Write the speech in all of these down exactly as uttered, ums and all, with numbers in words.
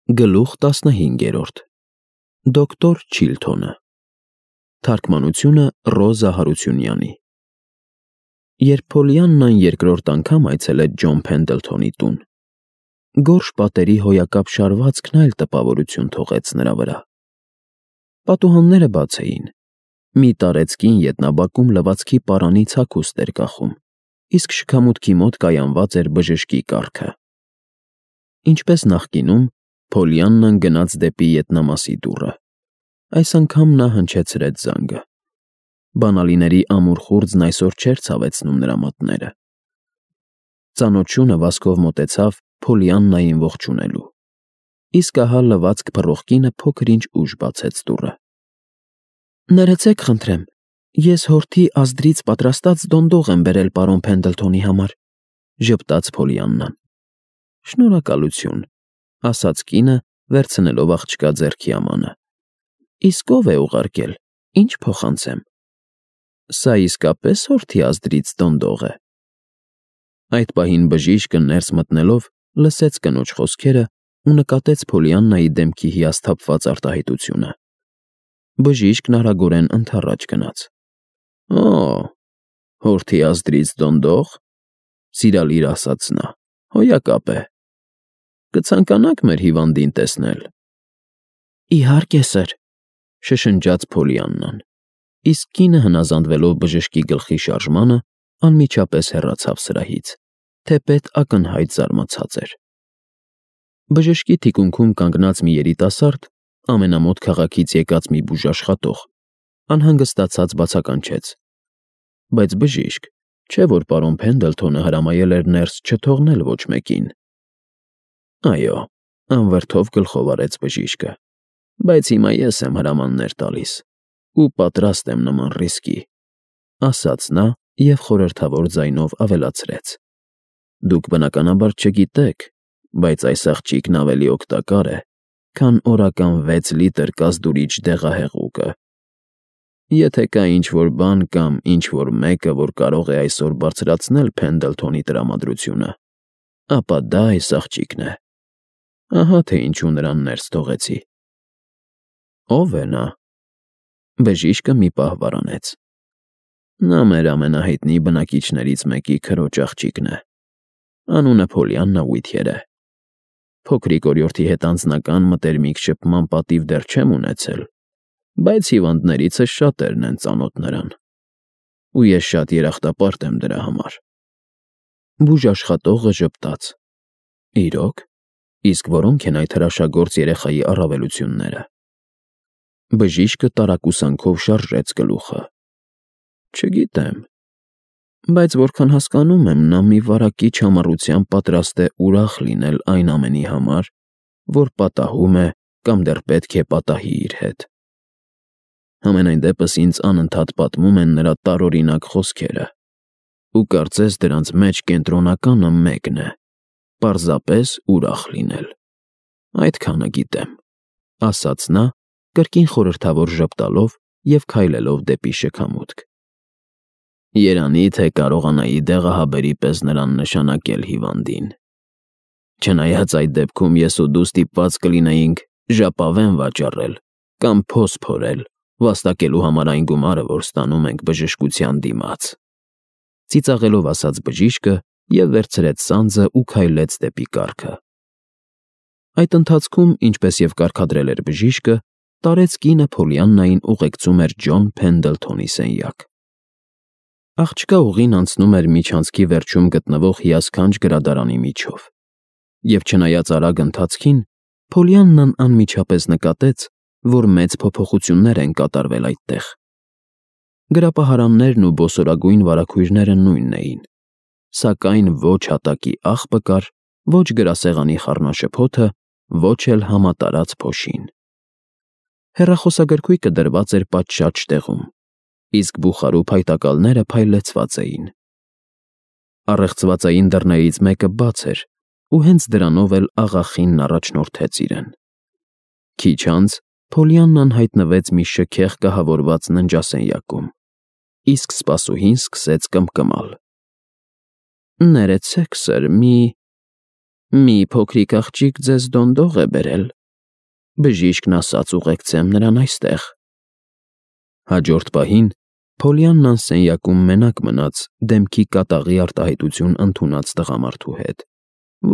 Գլուխ տասնհինգերորդ Դոկտոր Չիլթոնը Թարգմանությունը Ռոզա Հարությունյանի Երբ Փոլիաննան երկրորդ անգամ այցելեց Ջոն Փենդլթոնի տուն, գորշ պատերի հոյակապ շարվածքն այլ տպավորություն թողեց նրա վրա։ Պատուհանները բաց էին, մի տարեցկին ետնաբակում լվացքի պարանից հագուստ էր կախում, իսկ շքամուտքի մոտ կայանված էր բժշկի կառքը։ Ինչպես նախկինում, Փոլիաննան գնաց դեպի ետնամասի դուռը։ Այս անգամ նա հնչեցրեց զանգը։ Բանալիների ամուր խուրձն այսօր չէր ցավեցնում նրա մատները։ Ծանոթ շունը վազքով մոտեցավ Փոլիաննային ողջունելու, իսկ ահա լվացք փռող կինը փոքր-ինչ ուշ բացեց դուռը։ «Ներեցեք, խնդրեմ, ես հորթի ազդրից պատրաստած դոնդող եմ բերել պարոն Փենդլթոնի համար», ժպտաց Փոլիաննան։ «Շնորհակալություն», ասաց կինը, վերցնելով աղջկա ձեռքի ամանը։ «Իսկ ով է ուղարկել, ինչ փոխանցեմ»։ «Սա իսկապես հորթի ազդրից դոնդող է»։ Այդ պահին բժիշկը ներս մտնելով լսեց կնոջ խոսքերը ու նկատեց Փոլիաննայի դեմքի հիասթափված արտահայտությունը։ Բժիշկն արագորեն ընդառաջ գնաց։ «Օ, հորթի ազդրից դոնդող», սիրալիր ասաց նա, «հոյակապ է։ Կցանկանա՞ք մեր հիվանդին տեսնել»։ «Իհարկե, սըր», շշնջաց Փոլիաննան, իսկ կինը հնազանդվելով բժշկի գլխի շարժմանը, անմիջապես հեռացավ սրահից, թեպետ ակնհայտ զարմացած էր։ Բժշկի թիկունքում կանգնած մի երիտասարդ, ամենամոտ քաղաքից եկած մի բուժաշխատող, անհանգստացած բացականչեց. «Բայց բժիշկ, չէ՞ որ պարոն Փենդլթոնը հրամայել էր ներս չթողնել ոչ մեկին»։ «Այո», անվրդով գլխով արեց բժիշկը, «բայց հիմա ես եմ հրամաններ տալիս ու պատրաստ եմ նման ռիսկի», ասաց նա և խորհրդավոր ձայնով ավելացրեց. «Դուք բնականաբար չգիտեք, բայց այս աղջիկն ավելի օգտակար է, քան օրական վեց լիտր կազդուրիչ դեղահեղուկը։ Եթե կա ինչ-որ բան կամ ինչ-որ մեկը, որ կարող է այսօր բարձրացնել Փենդլթոնի տրամադրությունը, ապա դա այս աղջիկն է։ Ահա թե ինչու նրան ներս թողեցի»։ «Ո՞վ է նա»։ Բժիշկը մի պահ վարանեց։ «Նա մեր ամենահայտնի բնակիչներից մեկի քրոջ աղջիկն է։ Անունը Փոլիաննա Ուիթյեր է։ Փոքրիկ օրիորդի հետ անձնական մտերմիկ շփման պատիվ դեռ չեմ ունեցել, բայց հիվանդներիցս շատերն են ծանոթ նրան, ու ես շատ երախտապարտ եմ դրա համար»։ Բուժաշխատողը ժպտաց. «Իրո՞ք, իսկ որոնք են այդ հրաշագործ երեխայի առավելությունները»։ Բժիշկը տարակուսանքով շարժեց գլուխը. «Չգիտեմ, բայց որքան հասկանում եմ, նա մի վարակիչ համառությամբ պատրաստ է ուրախ լինել այն ամենի համար, որ պատահում է կամ դեռ պետք է պատահի իր հետ։ Համենայն դեպս ինձ անընդհատ պատմում են նրա տարօրինակ խոսքերը, ու կարծես դրանց մեջ կենտրոնականը մեկն է՝ պարզապես ուրախ լինել։ Այդքանը գիտեմ», ասաց նա, կրկին խորհրդավոր ժպտալով և քայլելով դեպի շքամուտք։ «Երանի թե կարողանայի դեղահաբերի պես նրան նշանակել հիվանդին։ Չնայած այդ դեպքում ես ու դու ստիպված կլինեինք ժապավեն վաճառել կամ փոս փորել, վաստակելու համար այն գումարը, որ ստանում ենք բժշկության դիմաց», ծիծաղելով ասաց բժիշկը և վերցրեց սանձը ու քայլեց դեպի կառքը։ Այդ ընթացքում, ինչպես և կարգադրել էր բժիշկը, տարեց կինը Փոլիաննային ուղեկցում էր Ջոն Փենդլթոնի սենյակ։ Աղջկա ուղին անցնում էր միջանցքի վերջում գտնվող հիասքանչ գրադարանի միջով, և չնայած արագ ընթացքին, Փոլիաննան անմիջապես նկատեց, որ մեծ փոփոխություններ են կատարվել այդտեղ։ Գրապահարաններն ու բոսորագույն վարագույրները նույնն էին, սակայն ոչ հատակի աղբը կար, ոչ գրասեղանի խառնաշփոթը, ոչ էլ համատարած փոշին։ Հեռախոսագրքույկը դրված էր պատշաճ տեղում, իսկ բուխարու փայտակալները փայլեցված էին։ Առեղծվածային դռներից մեկը բաց էր, ու հենց դրանով էլ աղախինն առաջնորդեց իրեն։ Քիչ անց Փոլիաննան հայտնվեց մի շքեղ կահավորված ննջասենյակում, իսկ սպասուհին սկսեց կմկմալ. «Ներեցեք, սըր, մի… Մի փոքրիկ աղջիկ ձեզ դոնդող է բերել, բժիշկն ասաց ուղեկցեմ նրան այստեղ։ Հաջորդ պահին Փոլիաննան սենյակում մենակ մնաց դեմքի կատաղի արտահայտություն ընդունած տղամարդու հետ,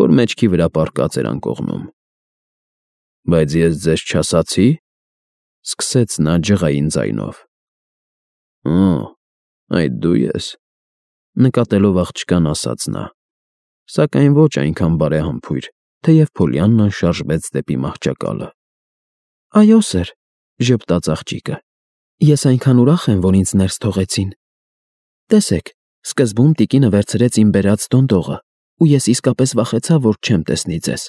որ մեջքի վրա պառկած էր անկողնում։ Բայց ես ձեզ չասացի, սկսեց նա ջղային ձայնով։ Օ, այդ դու ես, նկատելով աղջկան ասաց նա, սակայն ոչ այնքան բարեհամբույր, թեև Փոլիաննան շարժվեց դեպի մահճակալը։ Այո, սեր, ժպտաց աղջիկը, ես այնքան ուրախ եմ, որ ինձ ներս թողեցին։ Տեսեք, սկզբում տիկինը վերցրեց իմ բերած դոնդողը, ու ես իսկապես վախեցա, որ չեմ տեսնի ձեզ։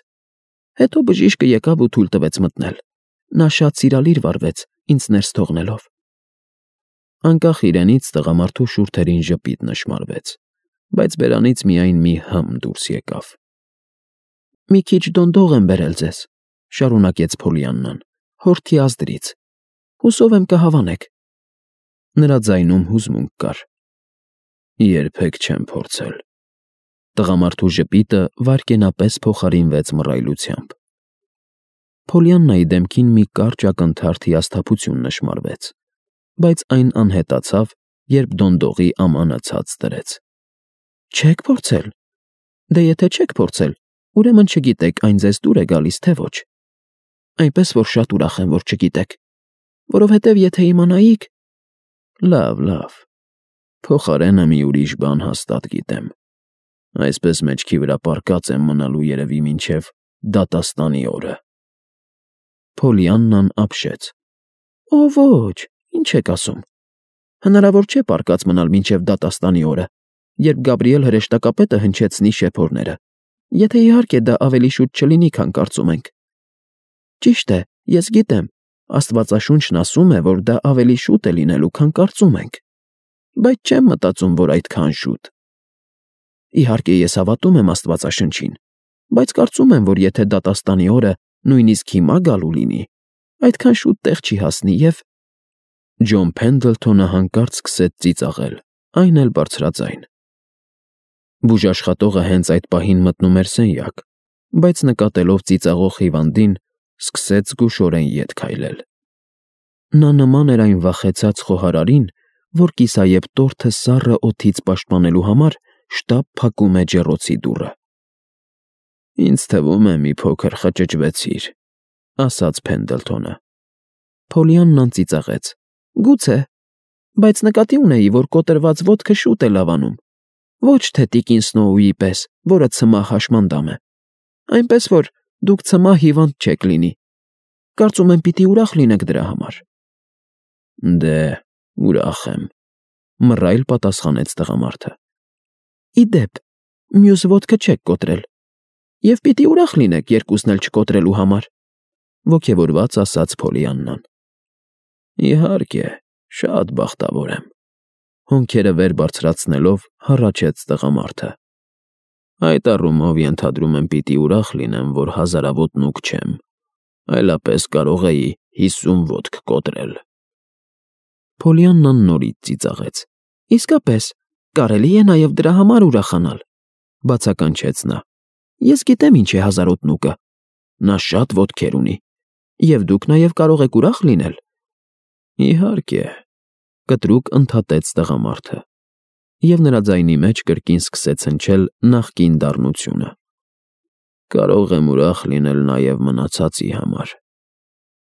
Հետո բժիշկը եկավ ու թույլ տվեց մտնել։ Նա շատ սիրալիր վարվեց, ինձ ներս թողնելով։ Անկախ իրենից տղամարդու շուրթերին ժպիտ նշմարվեց, բայց բերանից միայն մի հմ դուրս եկավ։ Մի քիչ դոնդող եմ բերել ձեզ, շարունակեց Փոլիաննան, հորթի ազդրից։ Հուսով եմ կհավանեք։ Նրա ձայնում հուզմունք կար։ Երբեք չեմ փորձել։ Տղամարդու ժպիտը վայրկենապես փոխարինվեց մռայլությամբ։ Փոլիաննայի դեմքին մի կարճ ակնթարթ հիասթափություն նշմարվեց, բայց այն անհետացավ, երբ դոնդողի ամանը ցած դրեց։ Չեք փորձել։ Դե եթե չեք փորձել, ուրեմն չգիտեք այն ձեզ դուր է գալիս, թե ոչ։ Այնպես որ շատ ուրախ եմ, որ չգիտեք, որովհետև եթե իմանայիք… Լավ, լավ, փոխարենը մի ուրիշ բան հաստատ գիտեմ։ Այսպես մեջքի վրա պառկած եմ մնալու երևի մինչև դատաստանի օրը։ Փոլիաննան ապշեց։ Օ, ոչ, ինչ եք ասում։ Հնարավոր չէ պառկած մնալ մինչև դատաստանի օրը, երբ Գաբրիել հրեշտակապետը հնչեցնի շեփորները, եթե իհարկե դա ավելի շուտ չլինի, քան կարծում ենք։ Ճիշտ է, ես գիտեմ, Աստվածաշունչն ասում է, որ դա ավելի շուտ է լինելու, քան կարծում ենք, բայց չեմ մտածում, որ այդքան շուտ։ Իհարկե ես հավատում եմ Աստվածաշնչին, բայց կարծում եմ, որ եթե դատաստանի օրը նույնիսկ հիմա գալու լինի, այդքան շուտ տեղ չի հասնի և… Ջոն Փենդլթոնը հանկարծ սկսեց ծիծաղել, այն էլ բարձրաձայն։ Բուժաշխատողը հենց այդ պահին մտնում էր սենյակ, բայց նկատելով ծիծաղող հիվանդին, սկսեց զգուշորեն ետ քայլել։ Նա նման էր այն վախեցած խոհարարին, որ կիսայեպ տորթը սառը օդից պաշտպանելու համար շտապ փակում է ջեռոցի դուռը։ Ինձ թվում է մի փոքր խճճվեցիր, ասաց Փենդլթոնը։ Փոլիաննան ծիծաղեց. Գուցե, բայց նկատի ունեի, որ կոտրված ոտքը շուտ է լավանում, ոչ թե տիկին Սնոուի պես, որը ցմահ հաշմանդամ է, այնպես որ դուք ցմահ հիվանդ չեք լինի։ Կարծում եմ պիտի ուրախ լինեք դրա համար։ Դե, ուրախ եմ, մռայլ պատասխանեց տղամարդը։ Ի դեպ, մյուս ոտքը չեք կոտրել, և պիտի ուրախ լինեք երկուսն էլ չկոտրելու համար, ոգևորված ասաց Փոլիաննան։ Իհարկե, շատ բախտավոր եմ, հոնքերը վեր բարձրացնելով հառաչեց տղամարդը։ Այդ առումով ենթադրում եմ պիտի ուրախ լինեմ, որ հազարավոտ նուգ չեմ, այլապես կարող էի հիսուն ոտք կոտրել։ Փոլիաննան նորից ծիծաղեց։ Իսկապես, կարելի է նաև դրա համար ուրախանալ, բացականչեց նա։ Ես գիտեմ ինչ է հազարոտ նուգը։ Նա շատ ոտքեր ունի, և դուք նաև կարող եք ուրախ լինել։ Իհարկե, կտրուկ ընդհատեց տղամարդը, և նրա ձայնի մեջ կրկին սկսեց հնչել նախկին դառնությունը։ Կարող եմ ուրախ լինել նաև մնացածի համար։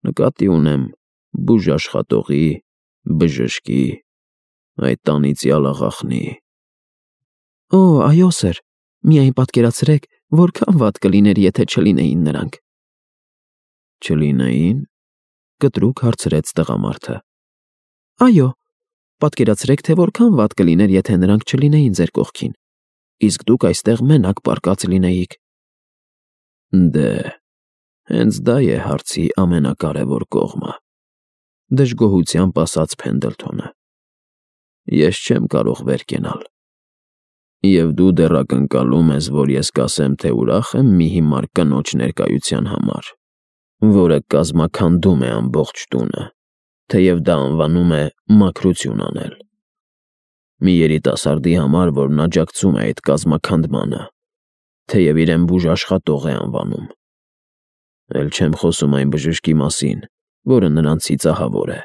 Նկատի ունեմ բուժաշխատողի, բժշկի, այդ անիծյալ աղախնի։ Օ, այո, սեր, միայն պատկերացրեք, որքան վատ կլիներ, եթե չլինեին նրանք։ Չլինեին, կտրուկ հարցրեց տղամարդը։ Այո, պատկերացրեք, թե որքան վատ կլիներ, եթե նրանք չլինեին ձեր կողքին, իսկ դուք այստեղ մենակ պառկած լինեիք։ Դե, հենց դա է հարցի ամենակարևոր կողմը, դժգոհությամբ ասաց Փենդլթոնը։ Ես չեմ կարող վեր կենալ։ Եվ դու դեռ ակնկալում ես, որ ես կասեմ, թե ուրախ եմ մի հիմար կնոջ ներկայության համար, որը կազմաքանդում է ամբողջ տունը, թեև դա անվանում է մաքրություն անել։ Մի երիտասարդի համար, որն աջակցում է այդ կազմաքանդմանը, թեև իրեն բուժաշխատող է անվանում։ Էլ չեմ խոսում այն բժշկի մասին, որը նրանց ծիծաղավոր է։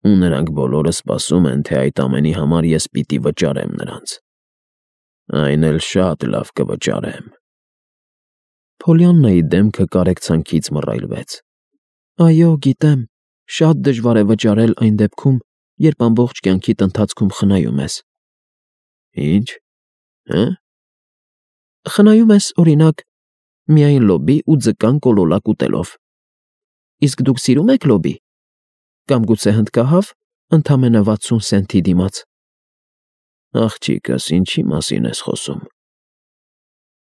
Ու նրանք բոլորը սպասում են, թե այդ ամենի համար ես պիտի վճարեմ նրանց։ Այն էլ շատ լավ կվճարեմ։ Փոլիաննայի դեմքը կարեկցանքից մռայլվեց։ Այո, գիտեմ, շատ դժվար է վճարել այն դեպքում, երբ ամբողջ կյանքիդ ընթացքում խնայում ես։ Ինչ։ Հը՞։ Խնայում ես, օրինակ, միայն լոբի ու ձկան կոլոլակ ուտելով։ Իսկ դուք սիրում եք լոբի։ Կամ գուցե հնդկահավ, ընդամենը վաթսուն սենթի դիմաց։ Աղջիկս, ինչի մասին ես խոսում։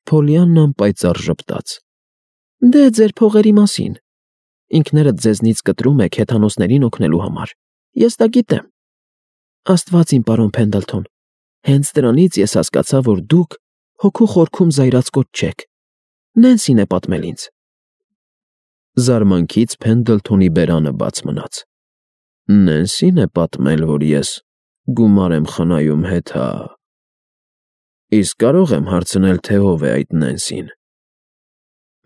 Փոլիաննան պայծառ ժպտաց։ Դե ձեր փողերի մասին։ Ինքներդ ձեզնից կտրում եք հեթանոսներին օգնելու համար։ Ես դա գիտեմ։ Աստված իմ պարոն Փենդլթոն, հենց դրանից ես հասկացա, որ դուք հոգու խորքում զայրացկոտ չեք։ Նենսին է պատմել ինձ։ Զարմանքից Փենդլթոնի բերանը բաց մնաց։ Նենսին է պատմել, որ ես գումար եմ խնայում հեթա։ Իսկ կարող եմ հարցնել, թե ով է այդ Նենսին։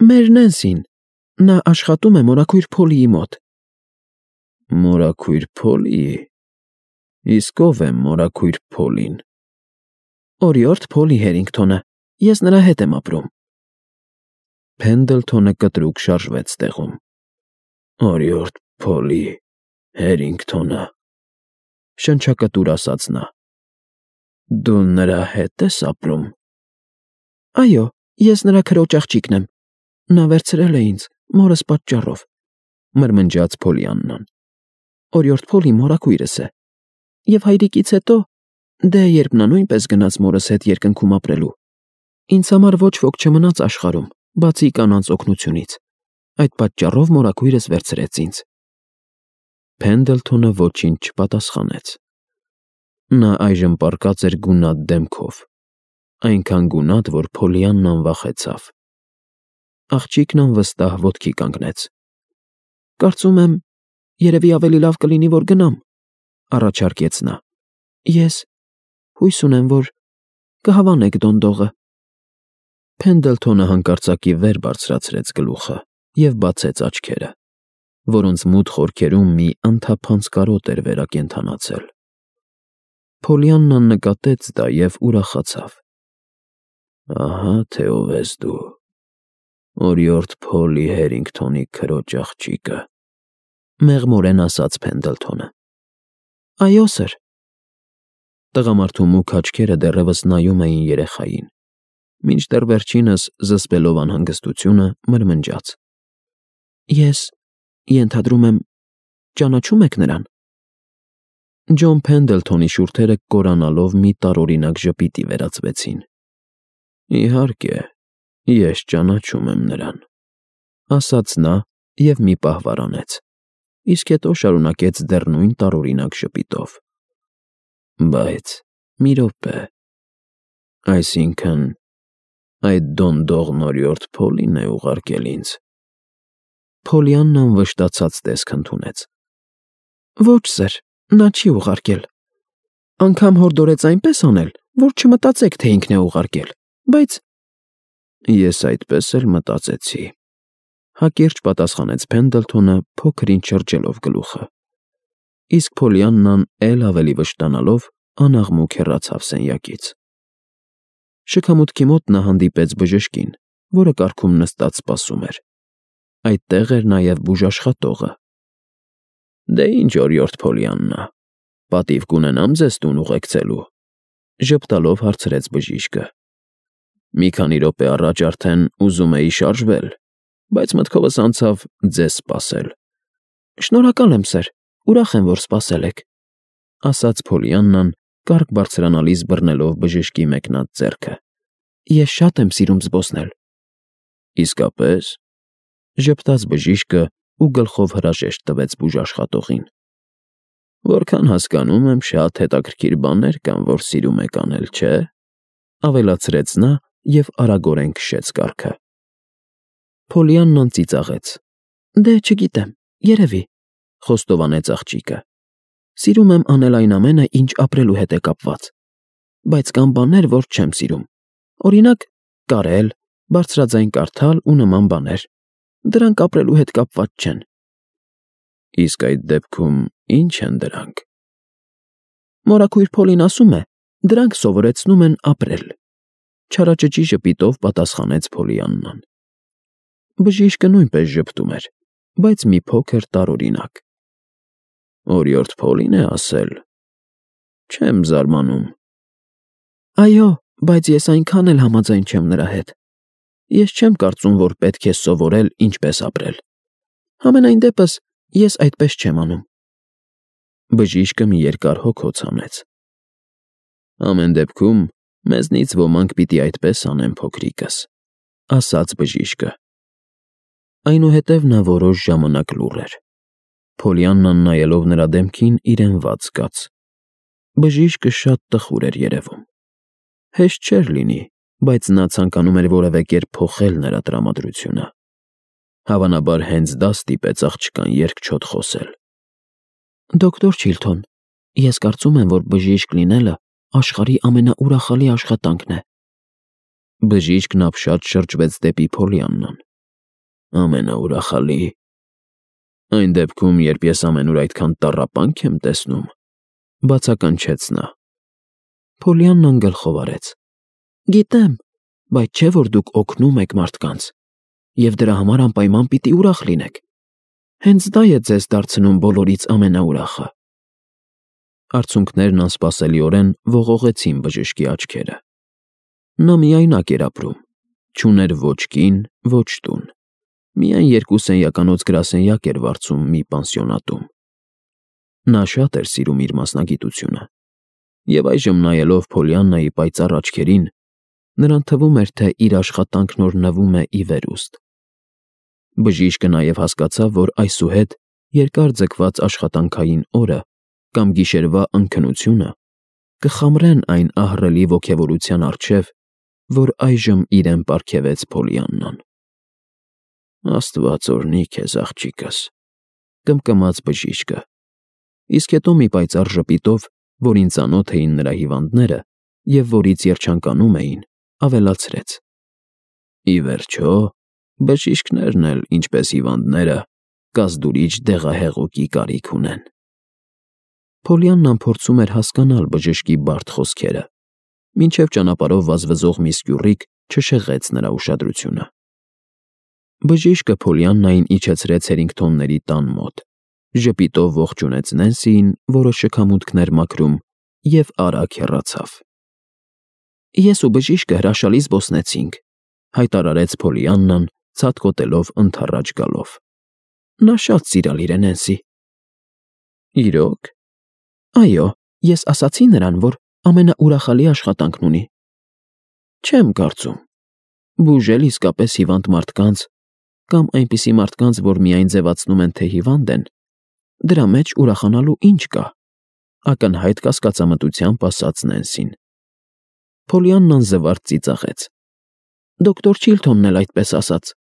Մեր Նենսին։ Նա աշխատում է մորաքույր Փոլիի մոտ։ Մորաքույր Փոլի։ Իսկ ով է մորաքույր Փոլին։ Օրիորդ Փոլի Հերինգթոնը։ Ես նրա հետ եմ ապրում։ Փենդլթոնը կտրուկ շարժվեց տեղում։ Օրիորդ Փոլի Հերինգթոնը։ Շնչակտուր ասաց նա։ Դու նրա հետ ես ապրում։ Այո, ես նրա քրոջ աղջիկն եմ։ Նա վերցրել է ինձ մորս պատճառով, մրմնջաց Փոլիաննան։ Օրիորդ Փոլի մորաքույրս է։ Եվ հայրիկից հետո, դե երբ նա նույնպես գնաց մորս հետ երկնքում ապրելու, ինձ համար ոչ ոք չմնաց աշխարհում, բացի կանանց օգնությունից։ Այդ պատճառով մորաքույրս վերցրեց ինձ։ Փենդլթոնը ոչինչ չպատասխանեց։ Նա այժմ պառկած էր գունատ դեմքով, այնքան գունատ, որ Փոլիաննան վախեցավ։ Աղջիկն անվստահ ոտքի կանգնեց։ Կարծում եմ, երևի ավելի լավ կլինի, որ գնամ, առաջարկեց նա։ Ես հույս ունեմ, որ կհավանեք դոնդողը։ Փենդլթոնը հանկարծակի վեր բարձրացրեց գլուխը և բացեց աչքերը, որոնց մութ խորքերում մի անթափանց կարոտ էր վերակենդանացել։ Փոլիաննան նկատեց դա և ուրախացավ։ Ահա թե ով ես դու։ Օրիորդ Փոլի Հերինգթոնի քրոջ աղջիկը, մեղմորեն ասաց Փենդլթոնը։ Այո, սըր։ Տղամարդու մուգ աչքերը դեռևս նայում էին երեխային, մինչդեռ վերջինս, զսպելով անհանգստությունը, մրմնջաց. Ես ենթադրում եմ, ճանաչում եք նրան։ Ջոն Փենդլթոնի շուրթերը կորանալով մի տարօրինակ ժպիտի վերածվեցին։ Իհարկե, ես ճանաչում եմ նրան, ասաց նա և մի պահ վարանեց, իսկ հետո շարունակեց դեռ նույն տարօրինակ ժպիտով. Բայց մի րոպե, այսինքն, այդ դոնդողն Օրիորդ Փոլին է ուղարկել ինձ։ Փոլիաննան վշտացած տեսք ընդունեց։ Ոչ, սըր, նա չի ուղարկել։ Անգամ հորդորեց այնպես անել, որ չմտածեք, թե ինքն է ուղարկել, բայց… Ես այդպես էլ մտածեցի, հակիրճ պատասխանեց Փենդլթոնը, փոքր-ինչ շրջելով գլուխը։ Իսկ Փոլիաննան էլ ավելի վշտանալով անաղմուկ հեռացավ սենյակից։ Շքամուտքի մոտ նա հանդիպեց բժշկին, որը կառքում նստած սպասում էր։ Այդտեղ էր նաև բուժաշխատողը։ Դե ինչ, օրիորդ Փոլիաննա, պատիվ կունենամ ձեզ տուն ուղեկցելու, ժպտալով հարցրեց բժիշկը։ Մի քանի րոպե առաջ արդեն ուզում էի շարժվել, բայց մտքովս անցավ ձեզ սպասել։ Շնորհակալ եմ, սըր, ուրախ եմ, որ սպասել եք, ասաց Փոլիաննան, կառք բարձրանալիս բռնելով բժշկի մեկնած ձեռքը։ Ես շատ եմ սիրում զբոսնել։ Իսկապես, ժպտաց բժիշկը ու գլխով հրաժեշտ տվեց բուժաշխատողին։ Որքան հասկանում եմ, շատ հետաքրքիր բաներ կան, որ սիրում եք անել, չէ՞, ավելացրեց նա և արագորեն քշեց կառքը։ Փոլիաննան ծիծաղեց։ Դե չգիտեմ, երևի, խոստովանեց աղջիկը։ Սիրում եմ անել այն ամենը, ինչ ապրելու հետ է կապված, բայց կան բաներ, որ չեմ սիրում։ Օրինակ, կարել, բարձրաձայն կարդալ ու նման բաներ։ Դրանք ապրելու հետ կապված չեն։ Իսկ այդ դեպքում ի՞նչ են դրանք։ Մորաքույր Փոլին ասում է, դրանք սովորեցնում են ապրել։ Չարաճճի ժպիտով պատասխանեց Փոլիաննան։ Բժիշկը նույնպես ժպտում էր, բայց մի փոքր տարօրինակ։ Օրիորդ Փոլին է ասել. Չեմ զարմանում։ Այո, բայց ես այնքան էլ համաձայն չեմ նրա հետ։ Ես չեմ կարծում, որ պետք է սովորել ինչպես ապրել։ Համենայն դեպս, ես այդպես չեմ անում։ Բժիշկը մի երկար հոգոց հանեց։ Ամեն դեպքում, մեզնից ոմանք պիտի այդպես անեն, փոքրիկս, ասաց բժիշկը։ Այնուհետև նա որոշ ժամանակ լուռ էր։ Փոլիաննան նայելով նրա դեմքին իրեն վատ զգաց։ Բժիշկը շատ տխուր էր երևում։ Հեշտ չէր լինի, բայց նա ցանկանում էր որևէ կերպ փոխել նրա տրամադրությունը։ Հավանաբար հենց դա ստիպեց աղջկան երկչոտ խոսել։ Դոկտոր Չիլթոն, ես կարծում եմ, որ բժիշկ լինելը աշխարհի ամենաուրախալի աշխատանքն է։ Բժիշկն ապշած շրջվեց դեպի Փոլիաննան։ Ամենաուրախալի։ Այն դեպքում, երբ ես ամենուր այդքան տառապանք եմ տեսնում, բացականչեց նա։ Փոլիաննան գլխով արեց։ Գիտեմ, բայց չէ՞ որ դուք օգնում եք մարդկանց, և դրա համար անպայման պիտի ուրախ լինեք։ Հենց դա է ձեզ դարձնում բոլորից ամենաուրախը։ Արցունքներն անսպասելիորեն ողողեցին բժշկի աչքերը։ Նա միայնակ էր ապրում, չուներ ոչ կին, ոչ տուն։ Միայն երկու սենյականոց գրասենյակ էր վարձում մի պանսիոնատում։ Նա շատ էր սիրում իր մասնագիտությունը, և այժմ նայելով Փոլիաննայի պայծառ աչքերին, նրան թվում էր, թե իր աշխատանքն օրհնվում է ի վերուստ։ Բժիշկը նաև հասկացավ, որ այսուհետ երկար ձգված աշխատանքային օրը կամ գիշերվա ընկնությունը կխամրեն այն ահռելի ոգևորության առջև, որ այժմ իրեն պարգևեց Փոլիաննան։ Աստված օրհնի քեզ, աղջիկս, կմկմաց բժիշկը, իսկ հետո մի պայծառ ժպիտով, որին ծանոթ էին նրա հիվանդները և որից երջանկանում էին, ավելացրեց. Ի վերջո, բժիշկներն էլ, ինչպես հիվանդները, կազդուրիչ դեղահեղուկի կարիք ունեն։ Փոլիաննան փորձում էր հասկանալ բժշկի բարդ խոսքերը, մինչև ճանապարհով վազվզող մի սկյուռիկ չշեղեց նրա ուշադրությունը։ Բժիշկը Փոլիաննային իջեցրեց Հերինգթոնների տան մոտ, ժպիտով ողջունեց Նենսիին, որը շքամուտքն էր մաքրում, և արագ հեռացավ։ Ես ու բժիշկը հրաշալի զբոսնեցինք, հայտարարեց Փոլիաննան, ցատկոտելով ընդառաջ գալով։ Նա շատ սիրալիր է, Նենսի։ Իրո՞ք։ Այո, ես ասացի նրան, որ ամենաուրախալի աշխատանքն ունի։ Չեմ կարծում։ Բուժել իսկապես հիվանդ մարդկանց, կամ այնպիսի մարդկանց, որ միայն ձևացնում են, թե հիվանդ են, դրա մեջ ուրախանալու ինչ կա, ակնհայտ կասկածամտությամբ ասաց Նենսին։ Փոլիաննան զվարթ ծիծաղեց։ Դոկտոր Չիլթոնն էլ այդպես ասաց,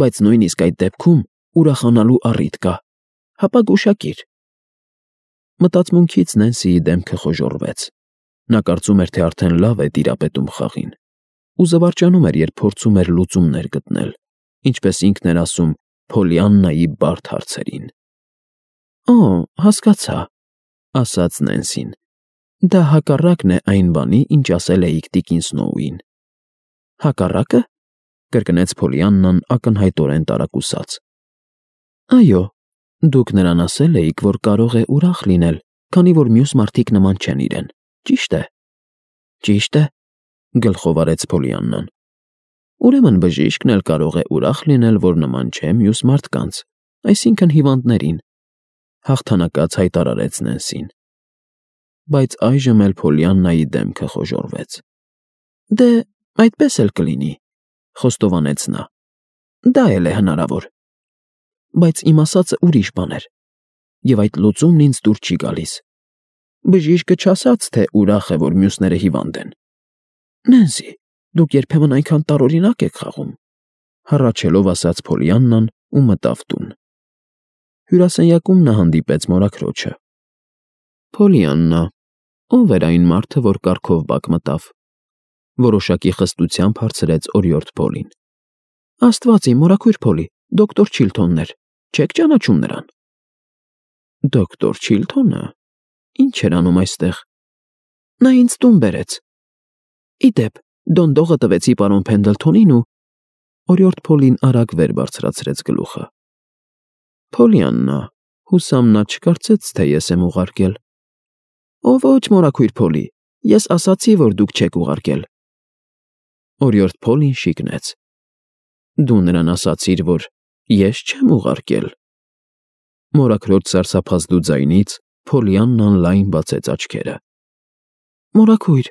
բայց նույնիսկ այդ դեպքում ուրախանալու առիթ կա, հապա գուշակիր։ Մտածմունքից Նենսիի դեմքը խոժոռվեց։ Նա կարծում էր, թե արդեն լավ է տիրապետում խաղին, ու զվարճանում էր, երբ փորձում էր լուծումներ գտնել, ինչպես ինքն էր ասում, Փոլիաննայի բարդ հարցերին։ Օ, հասկացա, ասաց Նենսին։ Դա հակառակն է այն բանի, ինչ ասել էիք տիկին Սնոուին։ Հակառակը։ Կրկնեց Փոլիաննան ակնհայտորեն տարակուսած։ Այո, դուք նրան ասել էիք, որ կարող է ուրախ լինել, քանի որ մյուս մարդիկ նման չեն իրեն, ճի՞շտ է։ Ճիշտ է, գլխով արեց Փոլիաննան։ Ուրեմն բժիշկն էլ կարող է ուրախ լինել, որ նման չէ մյուս մարդկանց, այսինքն հիվանդներին, հաղթանակած հայտարարեց Նենսին։ Բայց այժմ էլ Փոլիաննայի դեմքը խոժոռվեց։ Դե, այդպես էլ կլինի, խոստովանեց նա։ Դա էլ է հնարավոր։ Բայց իմ ասածը ուրիշ բան էր, և այդ լուծումն ինձ դուր չի գալիս։ Բժիշկը չասաց, թե ուրախ է, որ մյուսները հիվանդ են։ Նենսի, դուք երբեմն այնքան տարօրինակ եք խաղում, հառաչելով ասաց Փոլիաննան ու մտավ տուն։ Հյուրասենյակում նա հանդիպեց մորաքրոջը։ Փոլիաննա, ո՞վ էր այն մարդը, որ կառքով բակ մտավ։ Որոշակի խստությամբ հարցրեց օրիորդ Փոլին։ Աստված իմ, մորաքույր Փոլի, դոկտոր Չիլթոնն էր, չեք ճանաչում նրան։ Դոկտոր Չիլթոնը։ Ինչ էր անում այստեղ։ Նա ինձ տուն բերեց։ Իդեպ, դոնդողը տվեցի պարոն Փենդլթոնին ու… Օրիորդ Փոլին արագ վեր բարձրացրեց գլուխը։ Փոլիաննա, հուսամ նա չկարծեց, թե ես եմ ուղարկել։ Ո ոչ, մորաքույր Փոլի, ես ասացի, որ դուք չեք ուղարկել։ Օրիորդ Փոլին շիկնեց։ Դու նրան ասացիր, որ ես չեմ ուղարկել։ Մորաքրոջ սարսափազդու ձայնից Փոլիաննան լայն բացեց աչքերը։ Մորաքույր,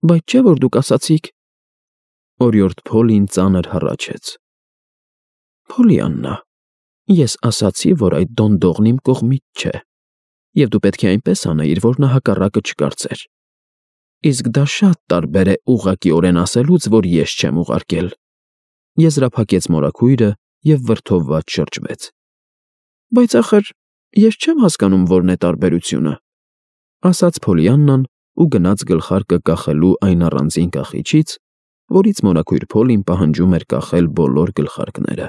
բայց չէ՞ որ դուք ասացիք… Օրիորդ Փոլին ծանր հառաչեց։ Փոլիաննա, ես ասացի, որ այդ դոնդողն իմ կողմից չէ, և դու պետք է այնպես անեիր, որ նա հակառակը չկարծեր։ Իսկ դա շատ տարբեր է ուղղակիորեն ասելուց, որ ես չեմ ուղարկել։ Եզրափակեց մորաքույրը և վրդովված շրջվեց։ Բայց ախր ես չեմ հասկանում որն է տարբերությունը, ասաց Փոլիաննան ու գնաց գլխարկը կախելու այն առանձին կախիչից, որից մորաքույր Փոլին պահանջում էր կախել բոլոր գլխարկները։